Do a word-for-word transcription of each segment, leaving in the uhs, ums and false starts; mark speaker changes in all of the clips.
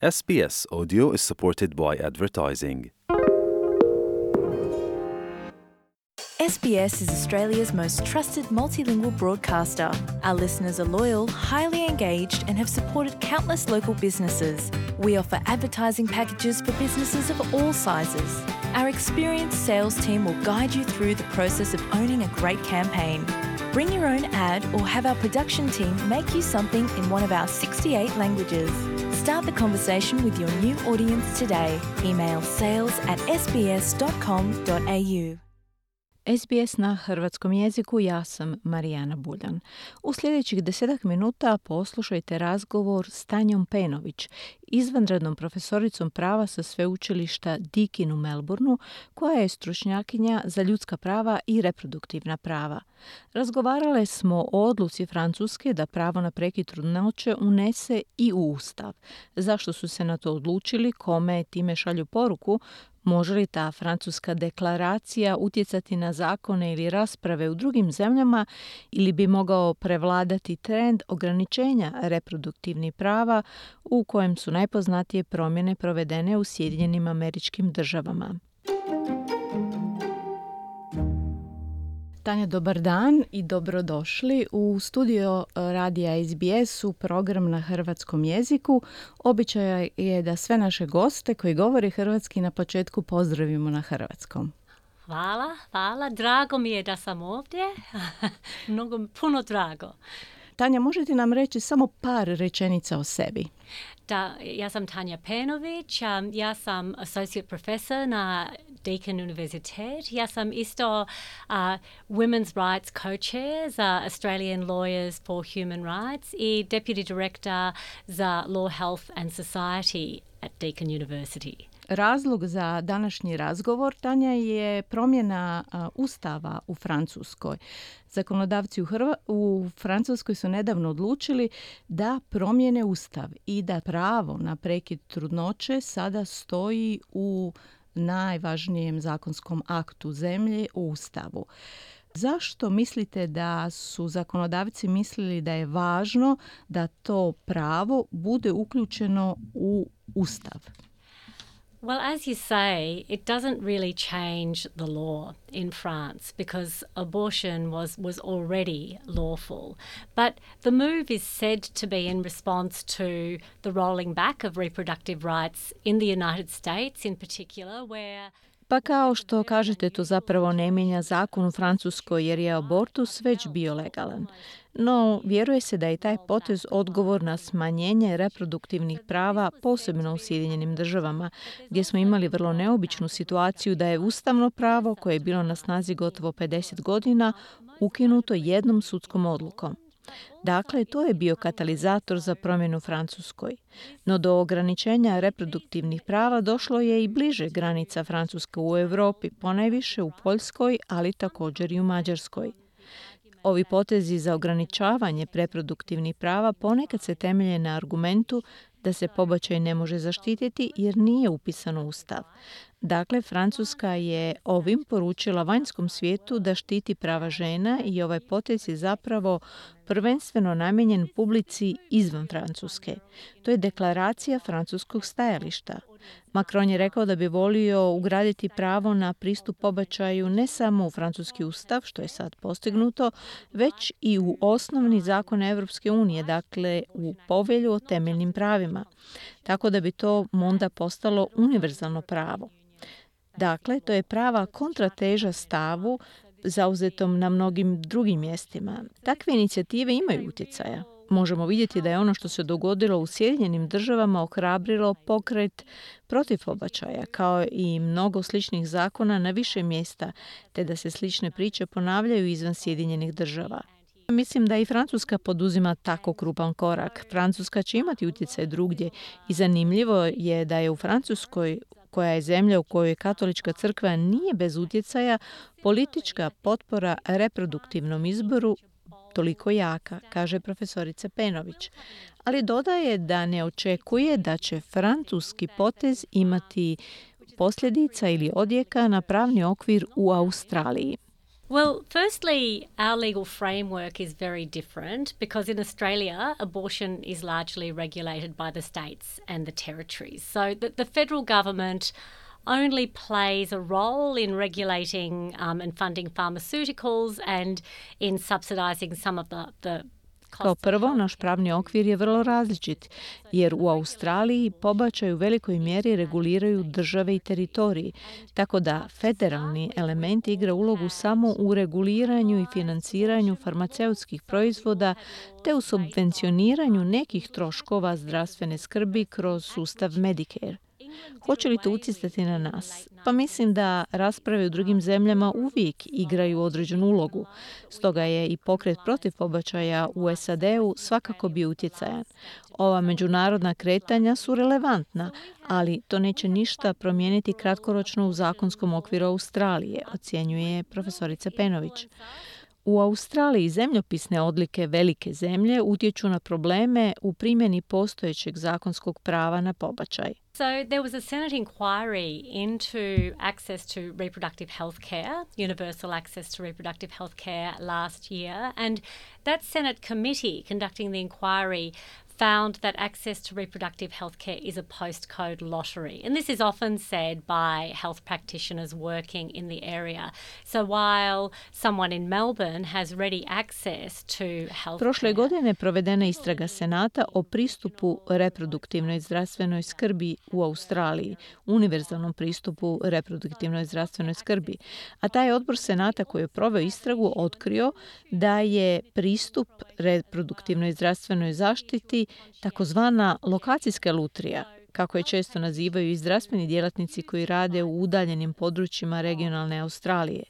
Speaker 1: S B S Audio is supported by advertising.
Speaker 2: S B S is Australia's most trusted multilingual broadcaster. Our listeners are loyal, highly engaged, and have supported countless local businesses. We offer advertising packages for businesses of all sizes. Our experienced sales team will guide you through the process of owning a great campaign. Bring your own ad or have our production team make you something in one of our sixty-eight languages. Start the conversation with your new audience today. Email sales at s b s dot com dot a u.
Speaker 3: S B S na hrvatskom jeziku, ja sam Marijana Buljan. U sljedećih desetak minuta poslušajte razgovor s Tanjom Penović, izvanrednom profesoricom prava sa sveučilišta Deakin u Melbourneu, koja je stručnjakinja za ljudska prava i reproduktivna prava. Razgovarale smo o odluci Francuske da pravo na prekid trudnoće unese i u Ustav. Zašto su se na to odlučili, kome time šalju poruku, može li ta francuska deklaracija utjecati na zakone ili rasprave u drugim zemljama ili bi mogao prevladati trend ograničenja reproduktivnih prava u kojem su najpoznatije promjene provedene u Sjedinjenim Američkim Državama. Tanja, dobar dan i dobrodošli u studio radija S B S u program na hrvatskom jeziku. Običaj je da sve naše goste koji govore hrvatski na početku pozdravimo na hrvatskom.
Speaker 4: Hvala, hvala. Drago mi je da sam ovdje. Mnogo, puno drago.
Speaker 3: Tanja, možete nam reći samo par rečenica o sebi?
Speaker 4: Da, ja sam Tanja Penović, um, ja sam associate professor na Deakin Universitet. Ja sam isto uh, women's rights co-chair za Australian Lawyers for Human Rights i deputy director za Law, Health and Society at Deakin University.
Speaker 3: Razlog za današnji razgovor, Tanja, je promjena a, Ustava u Francuskoj. Zakonodavci u, Hrva- u Francuskoj su nedavno odlučili da promijene Ustav i da pravo na prekid trudnoće sada stoji u najvažnijem zakonskom aktu zemlje, u Ustavu. Zašto mislite da su zakonodavci mislili da je važno da to pravo bude uključeno u Ustav?
Speaker 4: Well, as you say, it doesn't really change the law in France because abortion was, was already lawful. But the move is said to be in response to the rolling back of reproductive rights in the United States in particular, where...
Speaker 3: Pa kao što kažete, to zapravo ne mijenja zakon u Francuskoj jer je abortus već bio legalan. No, vjeruje se da je taj potez odgovor na smanjenje reproduktivnih prava, posebno u Sjedinjenim Državama, gdje smo imali vrlo neobičnu situaciju da je ustavno pravo, koje je bilo na snazi gotovo pedeset godina, ukinuto jednom sudskom odlukom. Dakle, to je bio katalizator za promjenu Francuskoj. No do ograničenja reproduktivnih prava došlo je i bliže granica Francuske u Europi, ponajviše u Poljskoj, ali također i u Mađarskoj. Ovi potezi za ograničavanje reproduktivnih prava ponekad se temelje na argumentu da se pobačaj ne može zaštititi jer nije upisan u Ustav. Dakle, Francuska je ovim poručila vanjskom svijetu da štiti prava žena i ovaj potez je zapravo prvenstveno namijenjen publici izvan Francuske. To je deklaracija francuskog stajališta. Macron je rekao da bi volio ugraditi pravo na pristup pobačaju ne samo u francuski ustav, što je sad postignuto, već i u osnovni zakon Europske unije, dakle u povelju o temeljnim pravima. Tako da bi to onda postalo univerzalno pravo. Dakle, to je prava kontrateža stavu zauzetom na mnogim drugim mjestima. Takve inicijative imaju utjecaja. Možemo vidjeti da je ono što se dogodilo u Sjedinjenim Državama ohrabrilo pokret protiv pobačaja, kao i mnogo sličnih zakona na više mjesta, te da se slične priče ponavljaju izvan Sjedinjenih Država. Mislim da i Francuska poduzima tako krupan korak. Francuska će imati utjecaj drugdje i zanimljivo je da je u Francuskoj, koja je zemlja u kojoj katolička crkva nije bez utjecaja, politička potpora reproduktivnom izboru toliko jaka, kaže profesorica Penović. Ali dodaje da ne očekuje da će francuski potez imati posljedica ili odjeka na pravni okvir u Australiji.
Speaker 4: Well, firstly, our legal framework is very different because in Australia, abortion is largely regulated by the states and the territories. So the, the federal government only plays a role in regulating um, and funding pharmaceuticals and in subsidising some of the, the
Speaker 3: Kao prvo, naš pravni okvir je vrlo različit, jer u Australiji pobačaj u velikoj mjeri reguliraju države i teritoriji, tako da federalni element igra ulogu samo u reguliranju i financiranju farmaceutskih proizvoda te u subvencioniranju nekih troškova zdravstvene skrbi kroz sustav Medicare. Hoće li to utjecati na nas? Pa mislim da rasprave u drugim zemljama uvijek igraju određenu ulogu. Stoga je i pokret protiv pobačaja u S A D-u svakako bio utjecajan. Ova međunarodna kretanja su relevantna, ali to neće ništa promijeniti kratkoročno u zakonskom okviru Australije, ocjenjuje profesorica Penović. U Australiji zemljopisne odlike velike zemlje utječu na probleme u primjeni postojećeg zakonskog prava na pobačaj.
Speaker 4: So there was a Senate inquiry into access to reproductive health care, universal access to reproductive health care last year, and that Senate committee conducting the inquiry found that access to reproductive health care is a postcode lottery. And this is often said by health practitioners working in the area. So while someone in Melbourne has ready access to health
Speaker 3: Prošle
Speaker 4: care,
Speaker 3: godine provedena istraga Senata o pristupu reproduktivnoj zdravstvenoj skrbi u Australiji, univerzalnom pristupu reproduktivnoj zdravstvenoj skrbi. A taj odbor Senata koji je proveo istragu otkrio da je pristup reproduktivnoj zdravstvenoj zaštiti takozvana lokacijska lutrija, kako je često nazivaju i zdravstveni djelatnici koji rade u udaljenim područjima regionalne Australije.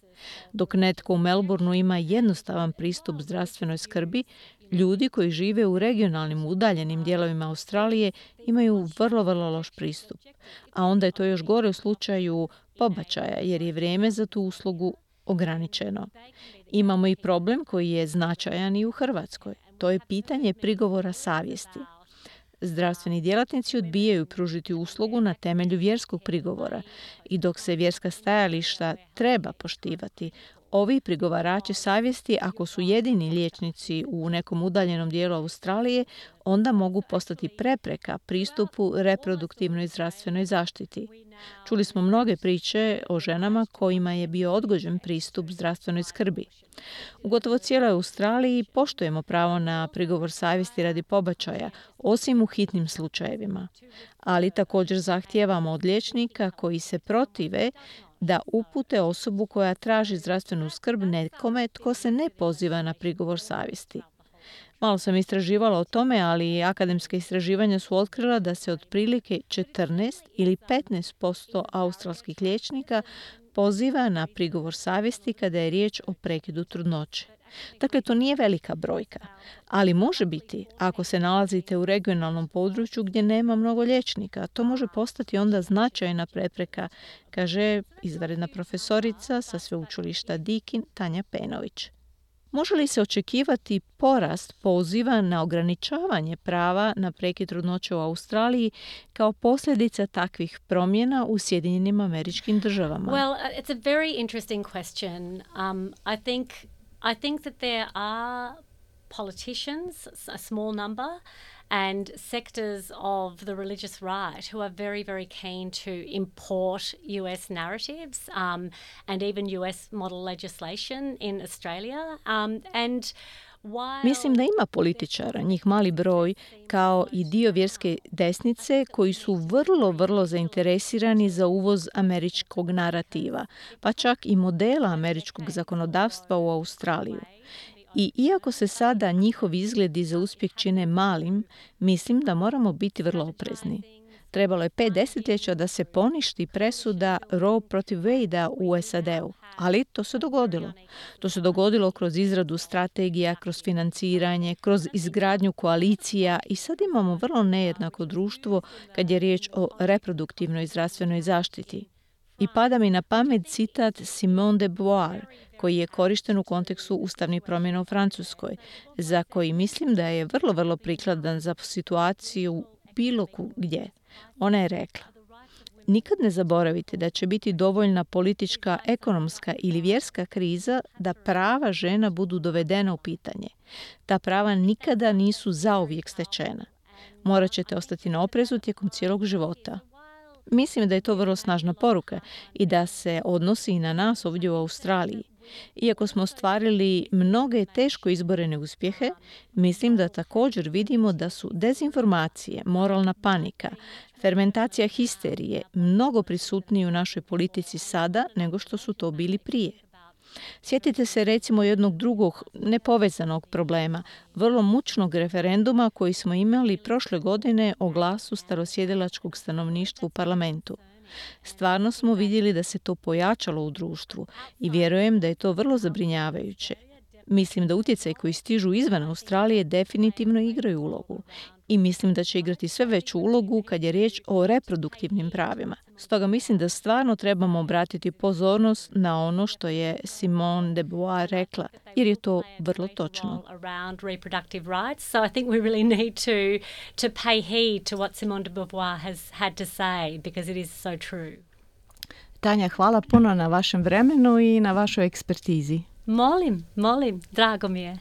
Speaker 3: Dok netko u Melbourneu ima jednostavan pristup zdravstvenoj skrbi, ljudi koji žive u regionalnim udaljenim dijelovima Australije imaju vrlo, vrlo loš pristup. A onda je to još gore u slučaju pobačaja, jer je vrijeme za tu uslugu ograničeno. Imamo i problem koji je značajan i u Hrvatskoj. To je pitanje prigovora savjesti. Zdravstveni djelatnici odbijaju pružiti uslugu na temelju vjerskog prigovora i dok se vjerska stajališta treba poštivati, ovi prigovarači savjesti, ako su jedini liječnici u nekom udaljenom dijelu Australije, onda mogu postati prepreka pristupu reproduktivnoj zdravstvenoj zaštiti. Čuli smo mnoge priče o ženama kojima je bio odgođen pristup zdravstvenoj skrbi. U gotovo cijeloj Australiji poštujemo pravo na prigovor savjesti radi pobačaja, osim u hitnim slučajevima. Ali također zahtijevamo od liječnika koji se protive da upute osobu koja traži zdravstvenu skrb nekome tko se ne poziva na prigovor savjesti. Malo sam istraživala o tome, ali akademska istraživanja su otkrila da se otprilike četrnaest ili petnaest posto australskih liječnika poziva na prigovor savjesti kada je riječ o prekidu trudnoće. Dakle, to nije velika brojka, ali može biti ako se nalazite u regionalnom području gdje nema mnogo liječnika. To može postati onda značajna prepreka, kaže izvanredna profesorica sa sveučilišta Deakin Tanja Penović. Može li se očekivati porast poziva na ograničavanje prava na prekid trudnoće u Australiji kao posljedica takvih promjena u Sjedinjenim Američkim Državama?
Speaker 4: Well, it's a very interesting question. Um, I think I think that there are politicians, a small number, and sectors of the religious right who are very, very keen to import U S narratives um, and even U S model legislation in Australia. Um, and while...
Speaker 3: Mislim da ima političara, njih mali broj, kao i dio vjerske desnice koji su vrlo, vrlo zainteresirani za uvoz američkog narativa, pa čak i modela američkog zakonodavstva u Australiju. I iako se sada njihovi izgledi za uspjeh čine malim, mislim da moramo biti vrlo oprezni. Trebalo je pet desetljeća da se poništi presuda Roe protiv Wade-a u S A D-u, ali to se dogodilo. To se dogodilo kroz izradu strategija, kroz financiranje, kroz izgradnju koalicija i sad imamo vrlo nejednako društvo kad je riječ o reproduktivnoj zdravstvenoj zaštiti. I pada mi na pamet citat Simone de Beauvoir, koji je korišten u kontekstu ustavnih promjena u Francuskoj, za koji mislim da je vrlo, vrlo prikladan za situaciju bilo gdje. Ona je rekla: Nikad ne zaboravite da će biti dovoljna politička, ekonomska ili vjerska kriza da prava žena budu dovedena u pitanje. Ta prava nikada nisu zauvijek stečena. Morat ćete ostati na oprezu tijekom cijelog života. Mislim da je to vrlo snažna poruka i da se odnosi i na nas ovdje u Australiji. Iako smo ostvarili mnoge teško izborene uspjehe, mislim da također vidimo da su dezinformacije, moralna panika, fermentacija histerije mnogo prisutniji u našoj politici sada nego što su to bili prije. Sjetite se recimo jednog drugog nepovezanog problema, vrlo mučnog referenduma koji smo imali prošle godine o glasu starosjedilačkog stanovništva u parlamentu. Stvarno smo vidjeli da se to pojačalo u društvu i vjerujem da je to vrlo zabrinjavajuće. Mislim da utjecaj koji stižu izvan Australije definitivno igraju ulogu i mislim da će igrati sve veću ulogu kad je riječ o reproduktivnim pravima. Stoga mislim da stvarno trebamo obratiti pozornost na ono što je Simone de Beauvoir rekla, jer je to vrlo točno.
Speaker 4: So I think we really need to to pay heed to what Simone de Beauvoir has had to say because it is so true.
Speaker 3: Tanja, hvala puno na vašem vremenu i na vašoj ekspertizi.
Speaker 4: Molim, molim, drago mi je.